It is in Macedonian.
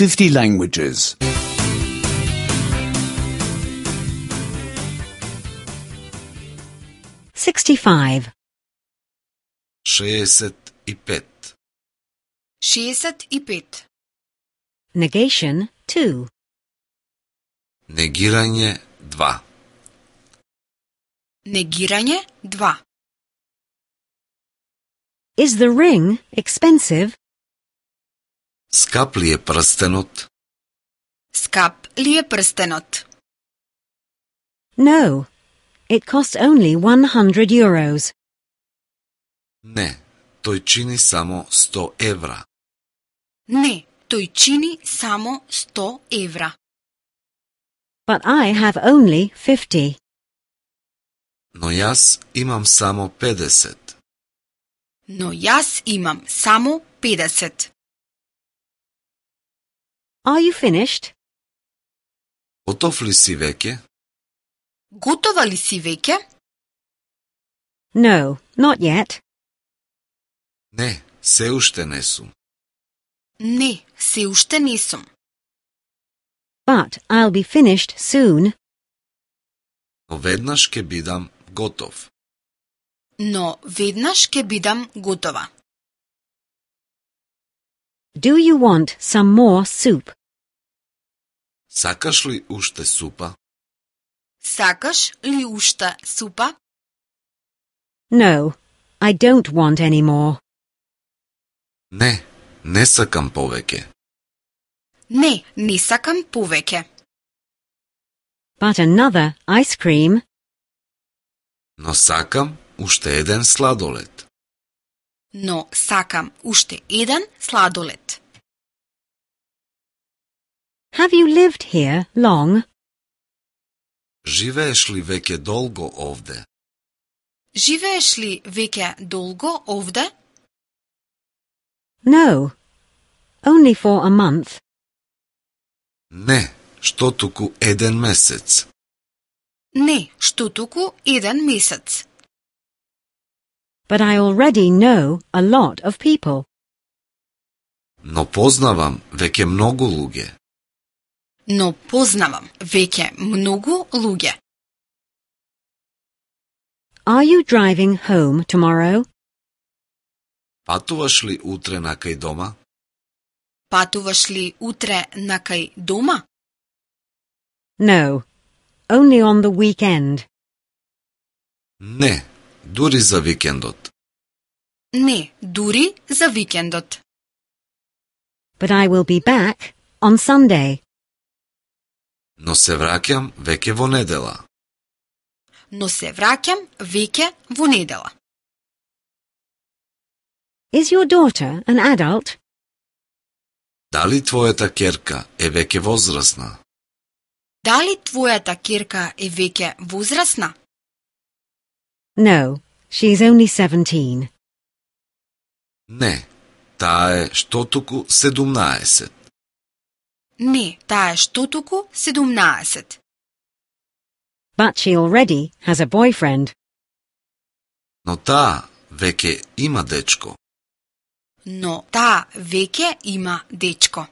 50 languages. 65. 65. 65. Negation 2. Негирање 2. Негирање 2. Is the ring expensive? Скап ли е прстенот? Скап ли е прстенот? No. It costs only 100 euros. Не, тој чини само 100 евра. Не, тој чини само 100 евра. But I have only 50. Но јас имам само 50. Но јас имам само 50. Are you finished? Готов ли си веќе? Готова ли си веќе? No, not yet. Не, се уште не сум. Не, се уште не сум. But I'll be finished soon. Но веднаш ќе бидам готов. Но веднаш ќе бидам готова. Do you want some more soup? Сакаш ли уште супа? Сакаш ли уште супа? No, I don't want any more. Не, не сакам повеќе. Не, не сакам повеќе. But another ice cream. Но сакам уште еден сладолед. Но сакам уште еден сладолед. Have you lived here long? Живееш ли веќе долго овде? Живееш ли веќе долго овде? No, only for a month. Не, што туку еден месец. Не, што туку еден месец. But I already know a lot of people. Но познавам веќе многу луѓе. Но познавам веќе многу луѓе. Are you driving home tomorrow? Патуваш ли утре накај дома? Патуваш ли утре накај дома? No, only on the weekend. Не, дури за викендот. Не, дури за викендот. But I will be back on Sunday. Но се враќам веќе во недела. Но се враќам веќе во недела. Is your daughter an adult? Дали твојата ќерка е веќе возрасна? Дали твојата ќерка е веќе возрасна? No, she is only 17. Не, таа е што туку 17. Не, таа е што туку 17. But she already has a boyfriend. Но таа веќе има дечко. Но таа веќе има дечко.